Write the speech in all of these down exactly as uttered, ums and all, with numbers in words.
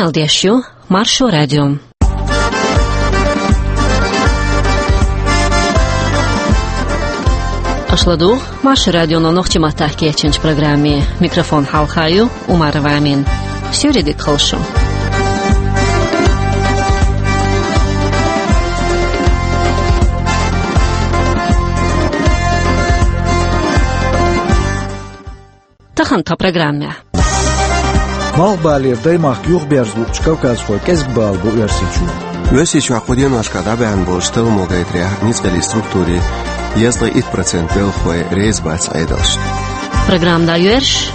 Эл деш ю Маршо радио. Аша ладугӀу Маршо радионо нохчийн маттахь кечйинчу программе. Микрофон хьалха ю Умарова Амина. Суьйре дика хуьлда шун. Тахана тхан программехь. Малхбалера даймахка юхаберза луучу кавказхойн кӀезиг бала бу Оьрсийчохь. Оьрсийчохь кху деношкахь дӀабаьхна болчу талламо гайтарехь, ницкъаллин структурийн дезткъе итт процент белхалой реза бац Ӏедалшна. Программа дӀайоьрзуш.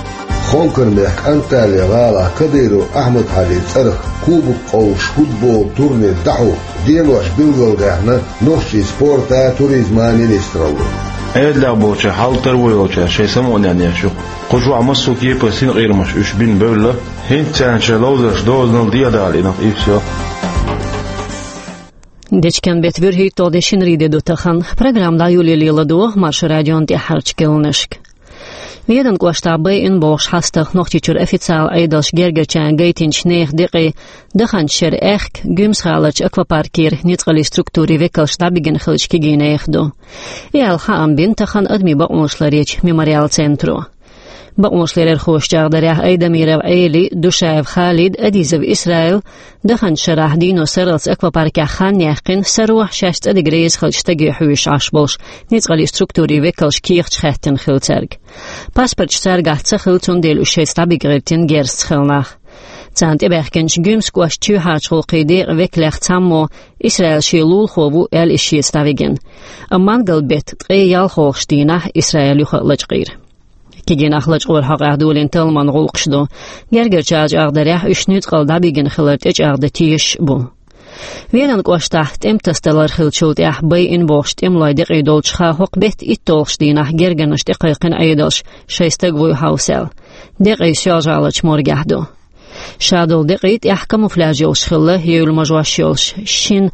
Хонкаран мехкан Анталия-гӀалахь Кадыров Ахьмад-Хьаьжин цӀарах кубок къовсуш футболан турнир дӀахьо денош билгалдаьхна нохчийн спортан а, туризман а министралло. Ӏедалехь болчара, хьал-тар ву йолчара шайн самукъане еш ю. Кху чохь массо а кепара синкъерамаш уьш бина бевлла, хӀинца царна шайн ловзарш дозанал дехьадала и нах, и всё. Дечкен беттан вуьрхӀитталгӀа де, шинарин де ду тахана. Программа дӀайолале ладогӀа Маршо радион тӀаьххьарчу керланашка. Веданан кӀоштахь байина бохуш хьастагӀа Нохчийчуьра официалан Ӏедалша гергарчарна гайтинчу нехан декъий даханчу шеран аьхка Гуьмсан-гӀаларчу аквапаркера ницкъаллин структурийн векалш дӀабигина хиллачу кегийчу нехан ду. И аьлла хаам бина тахана адамийн бакъонаш ларъечу Мемориал центро. Бакъонаш ларъярхоша чӀагӀдарехь, Айдамиров Ӏелин, Душаев Халидан, Адизов Исраилан даханчу шарахь дийно сарралц аквапаркехь хан яьккхина, саро шаьш цӀа дига реза хиллачу стаге хьоьжуш Ӏаш болуш ницкъаллин структурийн векалша кехаташ хаьттина хилла цаьрга. Паспорташ цаьргахь ца хилла, цундела уьш шайца дӀабига гӀиртина герзаца хилла нах. Царна тӀебаьхкинчу Гуьмсан кӀоштан чоьхьарчу гӀуллакхийн декъан векалех цхьаммо, Исраил шен лулахо ву аьлла, иза шеца дӀавигина. Амма мангал-беттан ткъе ялхолгӀачу дийнахь Исраил юха а лачкъийра. Кегий нах лачкъоран хьокъехь долийна талламан гӀуллакхаш ду. Гергарчара чӀагӀдарехь, уьш нуьцкъала дӀабигина хилар тӀечӀагӀдан тешаш а бу. Веданан кӀоштахь тӀеман тасадалар хиллачул тӀаьхьа байина бохучу тӀемалойн декъий долчуха хӀокху беттан итталгӀачу дийнахь гергарнаш тӀекхайкхина Ӏедалша, шайн стаг вуй хьовса аьлла. Декъий Соьлжа-ГӀаларчу моргехь ду. Шадолу декъий тӀехь камуфляж йолуш хилла, евлла мажош йолуш, шина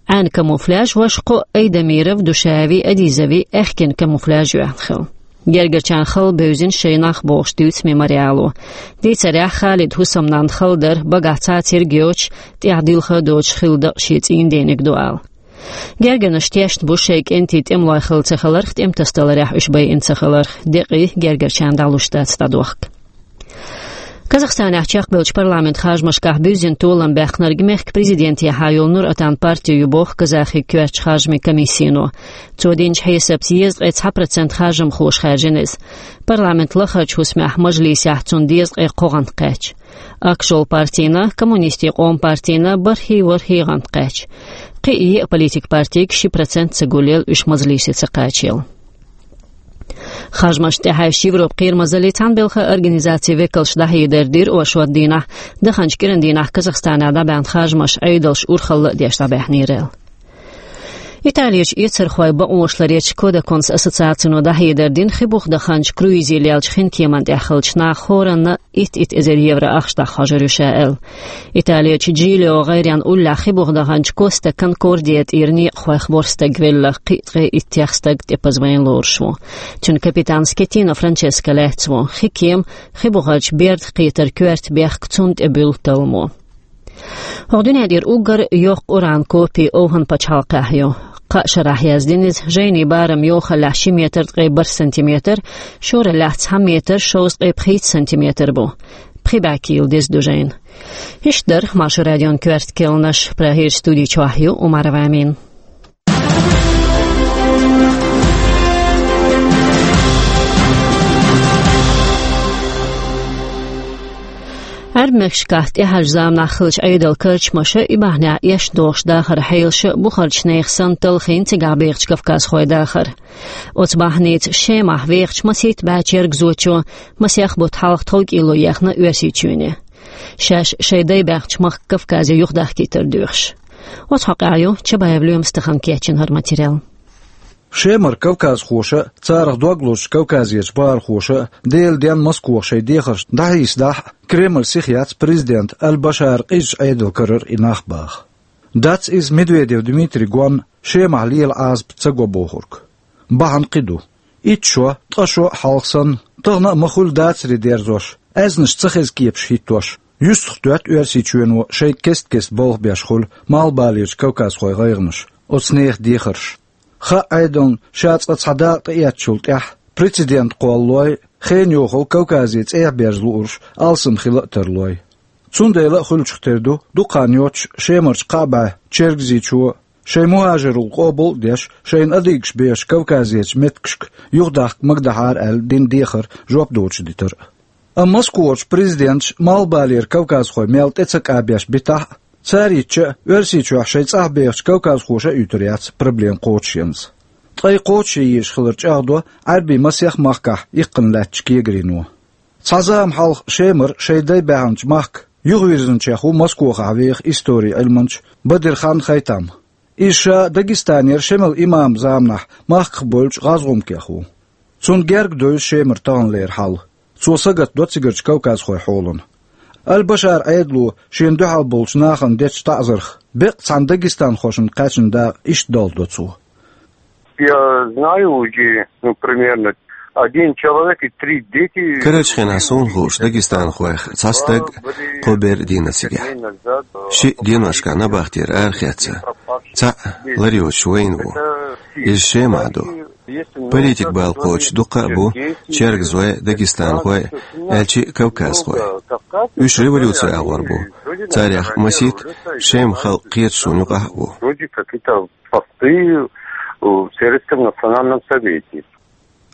Ӏаьнан камуфляж, важа кхо Айдамиров, Душаеви, Адизови аьхкенан камуфляж йоьхна хилла. Гергарчарна хала бевзина шайн нах бохуш дуьйцу Мемориало. Дийцарехь, Халидан хӀусамнанна хала дара, багахь цхьа а церг йоцуш, тӀехь дилха а доцуш хилла дакъа шен цӀийнан дениг ду ала. Гергарнаш тешна бу шайн кӀентий тӀемалой хилла ца хиларх, тӀеман тасадаларехь уьш байина ца хиларх. Декъий гергарчарна дӀалуш дац дӀадохка. Казахстанехь чекхбевллачу парламентан харжамашкахь буьззина толам баьккхинарг мехкан президентехьа йолу Нур-Отан парти ю боху казахийн коьртачу харжамийн комиссино. Цо динчу хьесапца дезткъе цхьа процент харжамхоша хаьржина иза. Парламентан лахарчу хӀусамехь мажлисехь цунна дезткъе кхо гӀант кхаьчна. Ак-Жол партина, Коммунистийн къоман партина бархӀ-ворхӀ гӀант кхаьчна. Кхин а еа политикан партига ши процент ца гулъелла уьш мажлисе ца кхачаелла. Харжамашна тӀехьаьжча, Европан Кхерамазаллин Цхьаьнабелхан организацин векалша дӀахьедар дира оршот дийнахь, даханчу кӀиран дийнахь Казахстанехь дӀабаьхна харжамаш Ӏедалша урхалла а деш дӀабаьхьнера аьлла. Италерчу эцархойн бакъонаш ларъечу Кодаконс ассоциацино дӀахьедар дина, хи буха даханчу круизе леллачу хинкеман тӀехь хиллачу наха хӀоранна итт-итт эзар евро ахча дӀахьожур ю ша аьлла. Италерчу Джилио гӀайренна уллехь хи буха даханчу Коста Конкордия тӀера некъахойх ворхӀ стаг велла, кхин а ткъе иттех стаг тӀепаза вайна лоруш ву. Цуьнан капитан Скеттино Франческо лаьцна ву. Хи кема хи бухарчу берда кхетар коьрта бехка цунна тӀе буьллу талламо. ХӀокху дуьнен тӀера уггар йоккха уран копи ОвхӀан пачхьалкхехь ю. Кхаа шарахь яздина иза, жайнин барам йохаллехь ши метр ткъе бархӀ сантиметр, шораллехь цхьа метр шовзткъе пхийтта сантиметр бу. Пхи бӀе кийла деза ду жайна. Иштта дара Маршо радион коьрта керланаш. Прагерчу студи чохь ю Умарова Амина. Ӏаьрбийн мехкашкахь тӀаьхьарчу заманахь хиллачу Ӏедалан карчамаша, и бахьанехь эшна догӀучу дахаран хьелаша бухарчу нехан санна талхийна цигахь бехачу кавказхойн дахар. Оцу бахьаница Шемахь вехачу масийтта бӀе чергазочо масех бутт хьалха тховкӀело ехна Оьрсийчоьне. Шаьш шайн дай баьхначу махка Кавказе юхадахкийтар доьхуш. Оцу хьокъехь ю Чабаев Лоьмас тахана кечйина хӀара материал. Шемара кавказхоша а, царах дог лозучу Кавказерчу бахархоша а Делан денна Москох шайн дехаршна дӀахьийсадахь а, Кремль сиха яц президентан Аль-Башаран къизачу Ӏедал карара и нах баха. Дац иза Медведев Дмитрий гонна Шемахь лела Ӏазап ца го бохург. Бахьана кхин ду. Итт шо, ткъа шо а хьалха санна, тахана а ма хуьллу дацаре дерзош, аьзнаш ца хеза кепаш хӀиттош, Юьстах доьтту Оьрсийчоьно шайга кест-кеста болх беш хуьлу малхбалерчу кавказхойн гӀайгӀанаш, оцу нехан дехарш. Хаьа Ӏедална ша цкъа цхьа дакъа тӀеэцначул тӀаьхьа прецедент кхоллалой, хенан йохалла Кавказе цӀехьа берза луурш алсам хила а тарлой. Цундела а хуьлучух тера ду, дукха хан йоццуш Шемарчу кхаа бӀе чергазийчо, шайн мухӀажаралла къобал а деш, шайна адыгаш бехачу Кавказерчу меттигашка юхадахка магадахьара аьлла дина дехар жоп доцуш дитар а. Амма Москварчу президенташа малхбалера кавказхой мел тӀе ца кӀабеш битахь а, цара йитча а, Оьрсийчохь шайн цӀахь бехачу кавказхоша а юьтур яц проблема кхочушъенза. Ткъа и кхочушъян езаш хилар чӀагӀдо Ӏаьрбийн масех махкахь иккхина лаьттачу кегарино. Цхьа зама хьалха Шемара шайн дай баьхначу махка юхавирзинчех ву Москохахь веха историн Ӏилманча Бадирхан Хайтам. Иза ша Дагестанера Шемала имаман заманахь махках бевллачу гӀазгӀумкех ву. Цунна герга девза Шемара таханлера хьал. Цо сагатдо цигарчу кавказхойн хьолана. Аль-Башаран Ӏедало шена дуьхьал болчу нахана дечу таӀзарх беккъа цхьана дагестанхошна кхаьчна дакъа иштта долдо цо. Я знаю уже, ну, примерно один человек и три дети. Карарчу хенахь суна хууш дагестанхойх цхьа стаг, кхо бер дийна цигахь. Шиъ деношкахь набахтера арахецна, цхьаъ лар йоцуш вайна ву. Иза Шемахь ду. Политик балха кхочуш дуккха а бу чергазой, дагестанхой, аьлча а кавказхой. Уьш революци агӀор бу. Царех масийтта Шеман халкъ кхеташ суна юкъахь а ву. Вроде какие-то посты, э, в Советском национальном совете.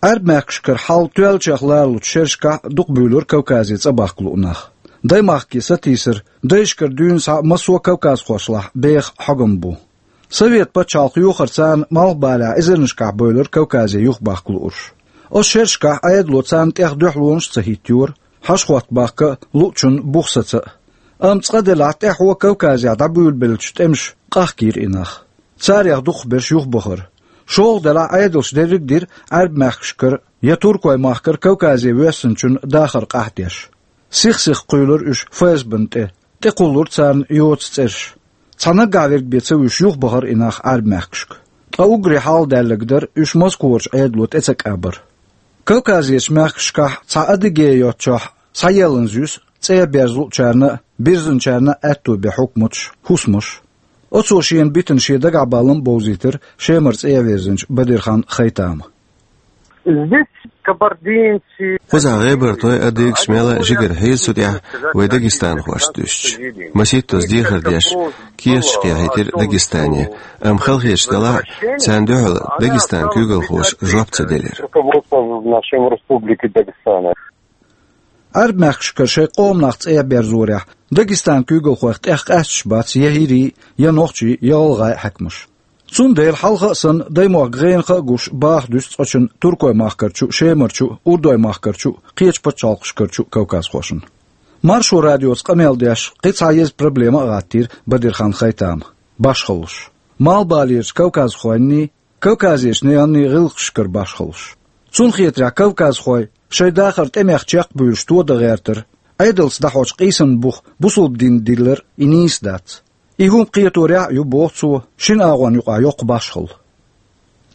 Ӏаьрбийн мехкашкара хьал тоьллачех лоруш шерашкахь дукха буьйлура Кавказе цӀа бахка луу нах. Даймахке сатийсар дайшкара дуьйна схьа массо а кавказхошлахь беха хьогам бу. Совет пачхьалкх йохарца царна малхбалехь эзарнашкахь бевлира Кавказе юхабахка луурш. Оцу шерашкахь Ӏедало царна тӀех дуьхьалонаш а ца хӀиттайора, хьошахӀотта бахка а, луучунна бух саца а. Амма цкъа делахь тӀаьхьо Кавказехь дӀабуьйлабеллачу тӀемаша къахкийра и нах. Царех дукхахберш юхабахара. ШолгӀа делахь Ӏедалша дерриг а дира Ӏаьрбийн мехкашкара я туркойн махкара Кавказе воьссинчун дахар къаьхьа деш. Сих-сиха кхуьйлура уьш ФСБ-на тӀе, тӀекхуллура царна йоцу цӀераш. Цхьа наггахь верг бен ца вуьсуш юхабахара и нах Ӏаьрбийн мехкашка. Ткъа уггаре хьалха даьлларг дара уьш Москварчу Ӏедало тӀе ца кӀабар. Кавказерчу мехкашкахь цхьа Адыгея йоцчохь схьаелланза юьсу цӀехьа берза луучарна а, бирзинчарна а аьтто бен хьукматаш, хӀусамаш. Оцо шена битина шен дагахь баллам а бовзийтира Шемара цӀехьа вирзинчу Бадирхан Хайтама. Здесь кабардинцы. Кхузахь гӀебартой, адыгаш мел а жигара хьийза цу тӀехь вай дагестанхошца дуьстича. Масийттаза дехар деш, кехаташ кхехьийтира Дагестане, амма халахеташ делахь а, царна дуьхьал Дагестан куьйгалхоша жоп ца делира. Руководство нашей республики Дагестана. Ӏаьрбийн мехкашкара шайн къоман нах цӀехьа берзорехь Дагестан куьйгалхойх тӀех къаьсташ бац я хӀирийн, я нохчийн, я гӀалгӀайн хьаькамаш. Цундела хьалха а санна, даймохк гӀенах а гуш, баха дуьсу цкъачунна туркойн махкарчу а, Шемарчу а, урдойн махкарчу а, кхечу пачхьалкхашкарчу а кавказхошна. Маршо радиоца къамел деш, кхин цхьа еза проблема а гӀаттийра Бадирхан Хайтама: башхаллаш. Малхбалерчу кавказхойнний, Кавказерчу наханий гӀиллакхашкара башхаллаш. Цунна хетарехь, кавказхой шайн дахар тӀемех чекхбуьйлуш тодан гӀертар, Ӏедалца дӀахьочу къийсаман бух бусалба динна диллар и нийса дац. И хӀума кхеторехь а ю, боху цо, шина агӀонна юкъахь йоккха башхалла.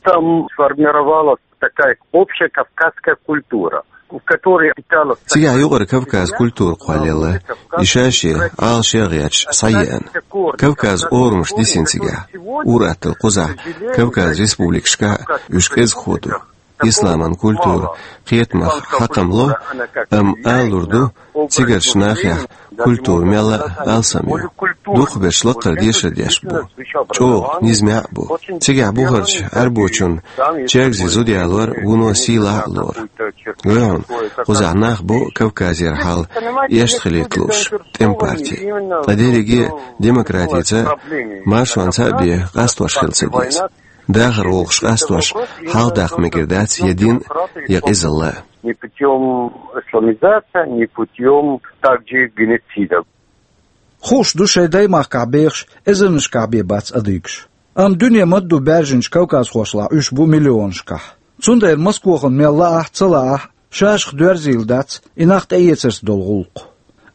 Там сформировалась такая общая кавказская культура, в которой питалась... Цигахь юкъара Кавказ культура кхоллаелла, и ша-шен, Ӏалашъе а гӀерташ, схьаеана. Кавказ орамаш дисина цигахь, ур-атталла кхузахь, Кавказ республикашкахь а уьш кӀезигхо ду. Исламан культура кхетамах хьакхам ло, амма алалур ду, цигарчу нахехь культура мелла а алсам ю. Дукхахберш лакхара дешар деш бу. ЧӀогӀа низамехь а бу. Цигахь бухарчу Ӏаьрбочунна чергазийн зуда ялор вуно сийлахь а лору. Вай хьуна, кхузахь нах бу Кавказера хьал эшна хилийта лууш тӀеман парти. Ткъа дерриге а демократица, маршонца а бен къастош хила ца деза. Дахар вовшах къастош хьалхадаккха мегар дац я дин, я къизалла. Не путём исламизации, не путём также геноцида. Хууш ду шайн даймахкахь бехаш эзарнашкахь бен бац адыгаш. Амма дуьне ма-дду баьржинчу кавказхошлахь уьш бу миллионашкахь. Цундела Москохана мел лаахь а, ца лаахь а, шашах доьрзийла дац и нах тӀеэцарца долу гӀуллакх.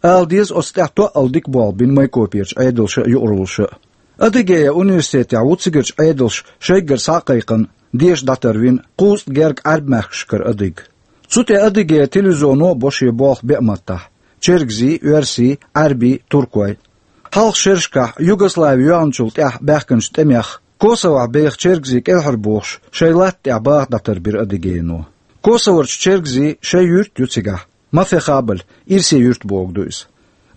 Ала деза, оцу тӀехь тоъал дика болх бина Майкоперчу Ӏедалша а, юкъараллаша а. Адыгея университетехь ву цигарчу Ӏедалша шайгара схьа а кхайкхина, деша дӀатарвина кхузткъа герга Ӏаьрбийн мехкашкара адыг. Цу тӀе Адыгея телевизионо а бо шен болх беа маттахь. чергазий, оьрсий, Ӏарбий, туркой. Хьалха шерашкахь Югослави йоьгӀначул тӀаьхьа баьхкинчу тӀемех Косовохь беха чергазий кӀелхьарбохуш шайн латта тӀехь баха дӀатарбира Адыгейно. Косоварчу чергазийн шайн юрт ю цигахь, Мафехабаль, ирсе юрт бохург ду иза.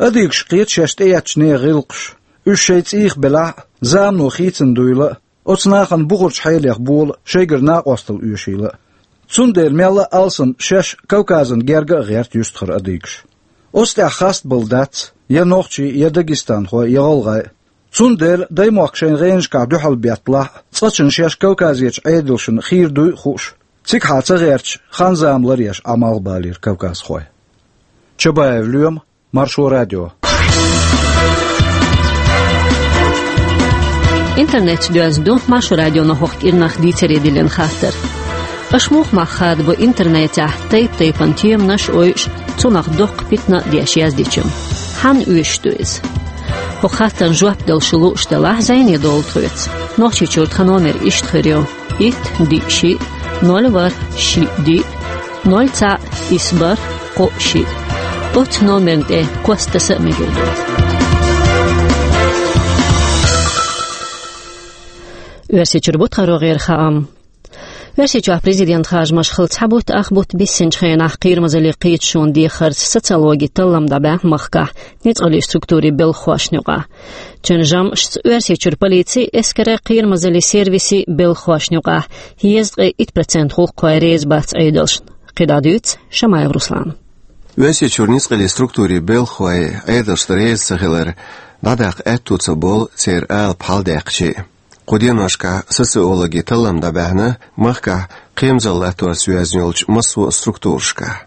Адыгаша кхета шаьш тӀеэцначу нехан гӀиллакхаш, уьш шайн цӀийх белахь а, замано хийцина дуйла а, оцу нахана бухарчу хьелех бола шайгара накъосталла оьшийла а. Цундела мелла а алсам шаьш Кавказан герга а гӀерта юьстахара адыгаша. Оцу тӀехь хастабала дац я нохчий, я дагестанхой, я гӀалгӀай. Цундела даймохк шайн гӀенашкахь дуьхьал бетталахь а, цкъачунна шаьш Кавказерчу Ӏедалшна хийра дуй а хууш, цигахьа ца гӀерташ, хан-зама ларъеш Ӏамал балийра кавказхой. Чабаев Лоьма, Маршо радио. Интернетца доьзна ду Маршо радионо хӀокху кӀирнах дийцаре диллина хаттар. Аша муха мах хадабо интернетехь тайп-тайпана теманаш а ойуш, цунах доккха питана а деш яздича? Хьанна оьшуш ду иза? ХӀокху хаттарна жоп дала шу лууш делахь, зӀене довла тхоьца. Нохчийчуьра тхан номер иштта хир ю: итт, диъ, шиъ, ноль, ворхӀ, шиъ, диъ, ноль, цхьаъ, исс, бархӀ, кхоъ, шиъ. Оцу номерна тӀе кост таса а мегар ду. Оьрсийчуьра бу тхан рогӀера хаам. Оьрсийчохь президент харжамаш хилла цхьа бутт, ах бутт биссинчу хенахь Кхерамазаллин кхеташонан дехарца социологин таллам дӀабаьхьна махкахь ницкъаллин структурийн белхахошна юкъахь. Цуьнан жамӀашца Оьрсийчуьра полицин, эскаран, Кхерамазаллин сервисийн белхахошна юкъахь дезткъе итт процент гӀуллакххой реза бац Ӏедалшна. КхидӀа дуьйцу Шамаев Руслана. Оьрсийчуьра ницкъаллин структурийн белхахой Ӏедалшна реза ца хилар дӀадаккха аьтту ца болу церан алапа хьаладаьккхича а. Кху деношкахь социологин таллам дӀабаьхьна махкахь кхерамазалла латторца йоьзна йолчу массо а структурашкахь.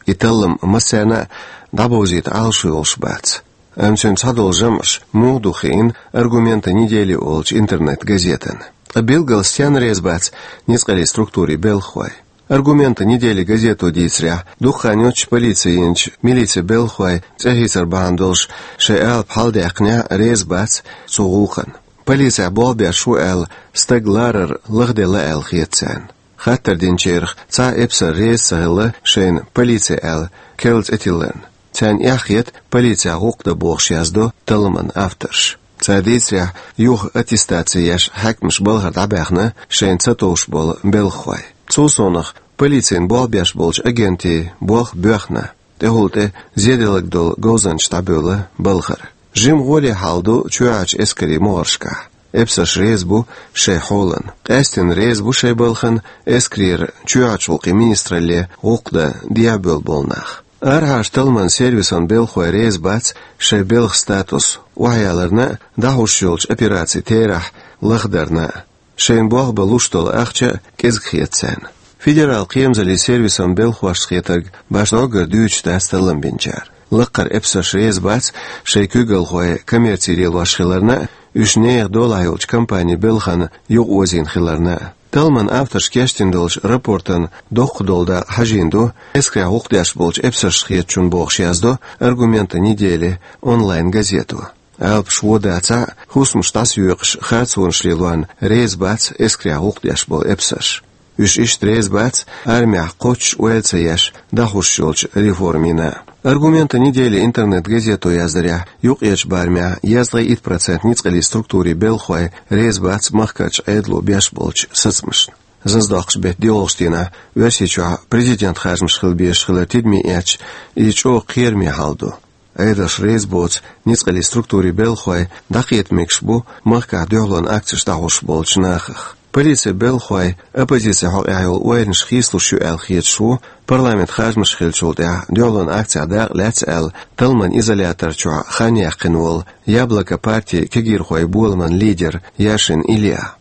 И таллам массарна а дӀабовзийта Ӏалашо йолуш бац. Амма цуьнан цхьадолу жамӀаш муха ду хиъна «Аргументы недели» олучу интернет-газетана. Ткъа билггал стенна реза бац ницкъаллин структурийн белхахой? «Аргументы недели» газето дийцарехь, дукха хан йоццуш полици йинчу милицин белхахой цӀе хийцар бахьана долуш шайн алапа хьаладаьккхинехь а реза бац цу гӀуллакхна. Полицехь болх беш ву аьлла, стаг ларар лахделла аьлла хета царна. Хаттар динчарах цхьа а эпсар реза ца хилла шайна полици аьлла керла цӀе тилларна. Царна эхь хета полицехь гӀуллакх дан бохуш, яздо талламан авторша. Цара дийцарехь, юха аттестаци еш хьаькамаша балхара дӀабаьхна шайна ца товш болу белхахой. Цул совнаха, полицина болх беш болчу агентийн болх боьхна, тӀехула тӀе зеделларг долу говзанчаш дӀабевлла балхара. Жима гӀоле хьал ду чоьхьарчу эскарийн могӀаршкахь. Эпсарш реза бу шайн хьолана. Къаьсттина реза бу шайн балхана эскарера чоьхьарчу гӀуллакхийн министралле гӀуллакх дан дехьабевлла болу нах. Арахьарчу талламан сервисан белхахой реза бац шайн белхан статус охьаяларна а, дӀахьуш йолчу операцийн терахь лахдарна а. Шайна болх бан луш долу ахча а кӀезиг хета царна. Федералан кхерамазаллин сервисан белхахошна хетарг башха дӀоггара дуьйцуш дац таллам бинчара. Лаккхара эпсарш реза бац шайн куьйгалхой коммерци лелош хиларна а, уьш нехан долахь йолчу компанийн белхана юкъаозийна хиларна а. Талламан авторша кечдина долчу рапортан доккха долу дакъа хьажийна ду эскарехь гӀуллакх деш болчу эпсаршна хетачунна бохуш, яздо «Аргументы недели» онлайн-газето. Алапаш вон дацахь а, хӀусамаш дӀасайоькъуш харцонаш лелорна реза бац эскарехь гӀуллакх деш болу эпсарш. Уьш иштта реза бац армехь кхоччуш ойла ца еш дӀахьуш йолчу реформина. «Аргументы недели» интернет-газето яздарехь, юккъерчу барамехь дезткъе итт процент ницкъаллин структурийн белхахой реза бац махкарчу Ӏедало беш болчу сацамашна. Зазадоккхучу беттан доьалгӀачу дийнахь Оьрсийчохь президентан харжамаш хила безаш хилар тидаме эцча, иза чӀогӀа кхераме хьал ду. Ӏедалшна реза боцу ницкъаллин структурийн белхахой дӀакхета мегаш бу махкахь дуьхьалонан акцеш дӀахьуш болчу нахах. Полицин белхахой оппозицин хьокъехь йолу ойланаш хийцалуш ю аьлла хеташ ву, парламентан харжамаш хиллачул тӀаьхьа дуьхьалонан акцехь дакъа лаьцна аьлла, талламан изолятор чохь хан яьккхина волу «Яблоко» партин кегийрхойн боламан лидер Яшин Илья.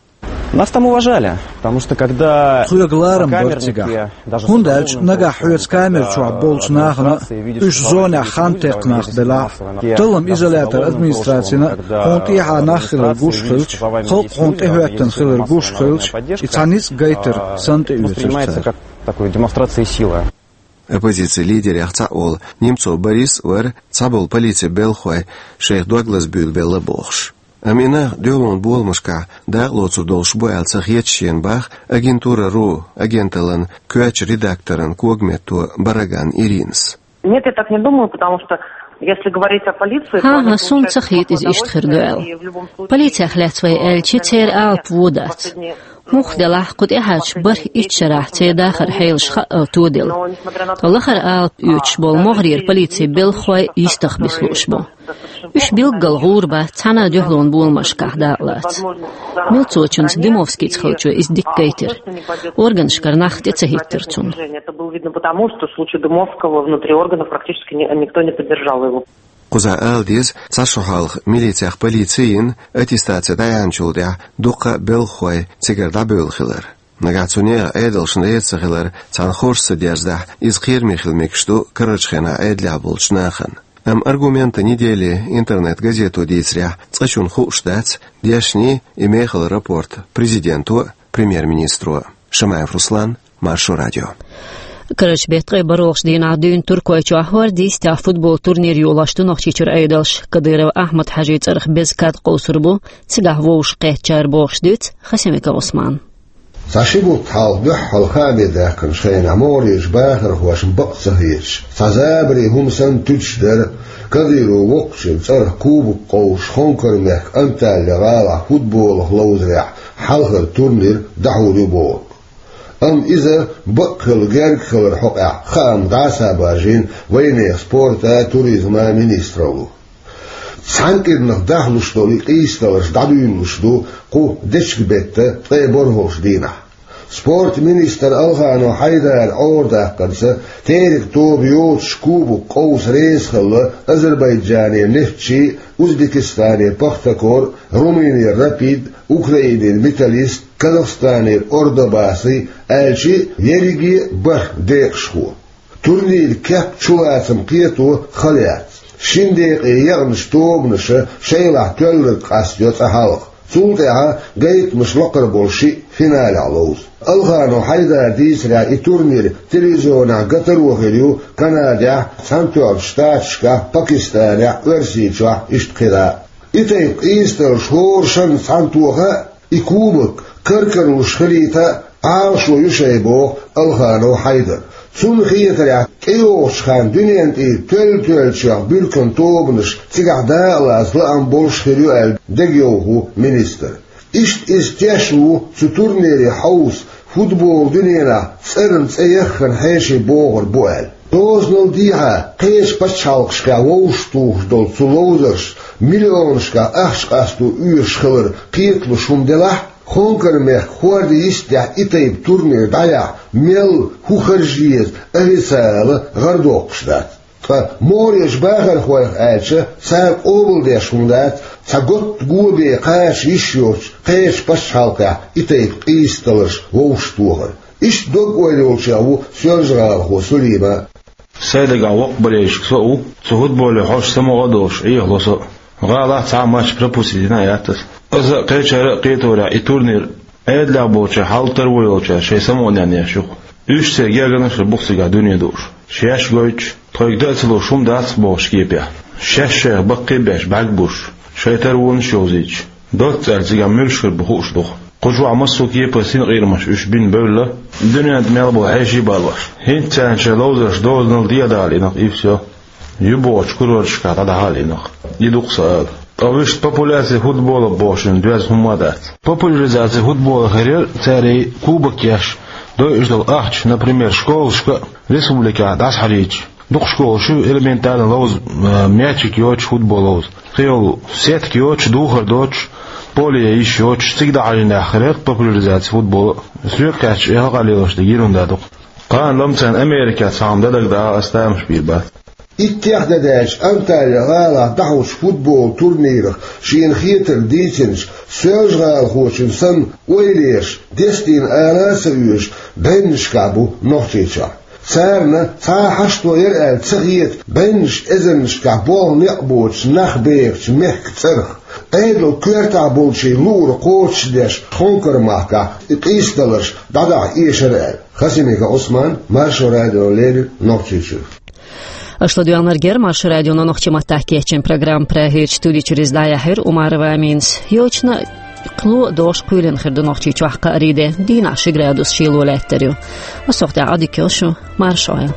Нас там уважали, потому что когда... Тхоьга ларам бара цигахь. ХӀунда аьлча нагахь хьоьца камер чохь болчу нахана а, уьш зонехь хан текхна нах белахь а, таллам изолятор администрацина а хьуна тӀехьа нах хилар гуш хилча, халкъ хьуна тӀехӀоьттина хилар гуш хилча, и цхьа ницкъ гайтар санна тӀеоьцура цара. Такой демонстрации силы. Оппозицин лидерех цхьаъ волу Немцов Борис вара цхьаболу полицин белхахой шайх дог лазабуьйлабелла бохуш. Амма и нах дуьхьалонан боламашкахь дакъа лоцур долуш бу аьлла ца хеташ шена бах «Агентура ру» агенталлан коьртачу редакторан когаметто Бараган Иринас. Нет, я так не думаю, потому что если говорить о полиции, то... ХӀан-хӀа, суна ца хета иза иштта хир ду аьлла. Полицех лаьцна вай аьлча, церан алапа вон дац. Муха делахь, кху тӀехьарчу бархӀ-итт шарахь церан дахаран хьелаш хаъал тодилла. Ткъа лахара алапа оьцуш болу могӀарера полицин белхахой йистах биса лууш бу. Уьш билггал гӀур бац, цхьана а дуьхьалонан боламашкахь дакъа лаца. Милцочунца, Дымовскийца хиллачо иза дика гайтира. Органашкара нах тӀе ца хӀиттира цунна. Это было видно потому, что в случае Дымовского внутри органов практически ни-, никто не поддержал его. Кхузахь ала деза, цхьа шо хьалха милицех полици йина, аттестаци дӀаяьхьначул тӀаьхьа дуккха а белхахой цигара дӀабевлла хилар. Нагахь цу нехан Ӏедалшна реза ца хилар цхьана хорша ца дерзадахь, иза кхераме хила мегаш ду карарчу хенахь Ӏедалехь болчу нахана. Амма «Аргументы недели» интернет-газето дийцарехь, цкъачунна хууш дац дешний и мехала рапорт президенто а, премьер-министро а. Шамаев Руслан, Маршо радио. Карарчу беттан ткъе бархӀолгӀачу дийнахь дуьйна Туркойчохь хӀорда йистехь футбол турнир йолош ду Нохчийчуьра Ӏедалш. Кадыров Ахьмад-Хьаьжин цӀарах беза кад къовсур бу цигахь вовшахкхеттачара, бохуш дуьйцу Хасимиков Ӏусмана. Цхьа ши бутт хьалха дуьххьара хаамийн даьхкинчу хенахь могӀарерчу бахархошна бакъ ца хеташ, цхьа забаре хӀума санна туьтуш дара Кадыровн воккхачун цӀарах кубок къовсуш, Хонкармехкан Анталья-гӀалахь футболах ловзарехь хьалхара турнир дӀахьур ю бохург. Амма иза бакъ хилла герга хиларан хьокъехь хаам дӀаса а баржийна вайнехан спорта а, туризма а министралло. Цхьана кӀирнах дахлуш долу и къийсадаларш дӀадуьйлалуш ду кху дечиган беттан ткъе бархӀолгӀачу дийнахь. Спортан министр Алханов Хьайдара Ӏорадаккхарца, теркан тоба йоцуш кубок къовса реза хилла Азербайджанан «Нефтчи», Узбекистанан «Пахтакор», Румынин «Рапид», Украинин «Металлист», Казахстанин «Ордобаси», аьлча а ерриге а бархӀ декъашхо. Турниран кеп чулацам кхето хала яц. Шина декъе екъначу тобанаша шайлахь тоьлларг къастайо цкъа хьалха. Цул тӀаьхьа гайтамаш лакхара болу шиъ финалехь ловзу. Алханов Хьайдара дийцарехь, и турнир телевизионехь ган таро хир ю Канадехь, Цхьаьнатоьхначу Штаташкахь, Пакистанехь, Оьрсийчохь, иштта кхидӀа а. И тайпа къийсадаларш хӀора шарна цхьаьна тоха а, и кубок кар-карлуш хилийта а Ӏалашо ю шайн, боху Алханов Хьайдара. Цунна хетарехь, тӀейогӀучу хенахь дуьненан тӀера тоьлла-тоьллачех буьрканан тобанаш цигахь дакъалаца лаам болуш хир ю аьлла дегайовхо ву министран. Иштта иза теш ву цу турнире хьовса, футболан дуьненахь цӀарна цӀе яххана хьеший богӀур бу аьлла. Дозанал дехьа кхечу пачхьалкхашкахь вовшахтухуш долу цу ловзарша миллионашкахь ахча къасто оьшуш хилар кхеталуш хӀума делахь а, Хонкармехкан хӀордан йистехь и тайпа турнир дӀаяхьа мел, хӀун харжа еза официала гӀарадоккхуш дац. Ткъа могӀарерчу бахархойх аьлча, цара къобалдеш хӀума дац цхьа готта го бен кхача йиш йоцуш кхечу пачхьалкхехь и тайпа къийсадаларш вовшахтохар. Иштта дог-ойла йолчех ву соьлжа-гӀалахо Сулима. Сайн дагахь воккха болельщик со а ву, цу футболе хьожуш самукъа а долуш Ӏехало со а. ГӀалахь цхьа а матч пропустить дина а яц аса. Аса а, кхечара а кхеторехь, и турнир Ӏедалехь болчара, хьал таро йолчара шайн самукъане еш ю-кх. Уьш церан гергарнаш а бу-кх цигахь дуьне дууш. Шаьш гойтуш, тхоьга дан а ца луш хӀума дац-кх бохучу кепехь, шаьш шайх баккхий а беш, бӀаьрг буьсуш, шайн таронаш йовзуьйтуш, доцца аьлла цигахь муьлш хир бу хууш ду-кх. Кху чохь массо а кепара синкъерамаш уьш бина бевлла, дуьненна тӀе мел болу хьеший а балош. ХӀинца царна шайн ловзарш дозанал дехьадахьа лиъна-кх, и всё. Ю бохучу курорташкахь дӀадахьа а лиъна-кх. И ду-кх сан ала. Ткъа вуьшта популяция футбола бохучун доьзна хӀумма а дац. Популяризация футбола хир яра цара и кубок еш, дойуш долу ахча, например, школашка а, республикехь а дӀасахьажийтуш. Дукха школаш ю элементарно ловза, а, мячик йоцуш, футбол ловза. Кхин йолу сетка йоцуш, духар доцуш, поле йиш йоцуш, цига дӀахьажийнехь хир яра популяризация футбола. Соьга кхаьчча, и хьакъ лелош дерг йина хӀума ду-кх. Кхана-ла царна Америкехь цхьа хӀума дан дагадогӀу, аса тамаш бийр бац. Иттех де даьлча Анталья-гӀалахь дӀахьочу футбол турнирах шена хетарг дийцинчу соьлжа-гӀалахочун санна ойла еш, дестийна ала а ца оьшу бӀеннашкахь бу Нохчийчохь. Царна цхьа а хьашто яра аьлла ца хета бӀеннаш эзарнашкахь болх-некъ боцуш нах бехачу мехкан цӀарах. Ӏедалан коьртехь болчийн луург кхочушдеш, Хонкармахкахь и къийсадаларш дӀадахьа эшара аьлла. Хасимиков Ӏусман, Маршо радиона леррина Нохчийчуьра. Аша ладоьгӀнарг яра Маршо радион нохчийн маттахь кечйина программа. Прагерчу студи чуьра иза дӀаяьхьира Умарова Аминас. Йочана кхин ло а догӀуш кхоьлина хир ду Нохчийчохь кхаарин де, дийнахь ши градус шело лаьттар ю. Массо а хӀуманна тӀехь Ӏадика йойла шу, марша Ӏойла.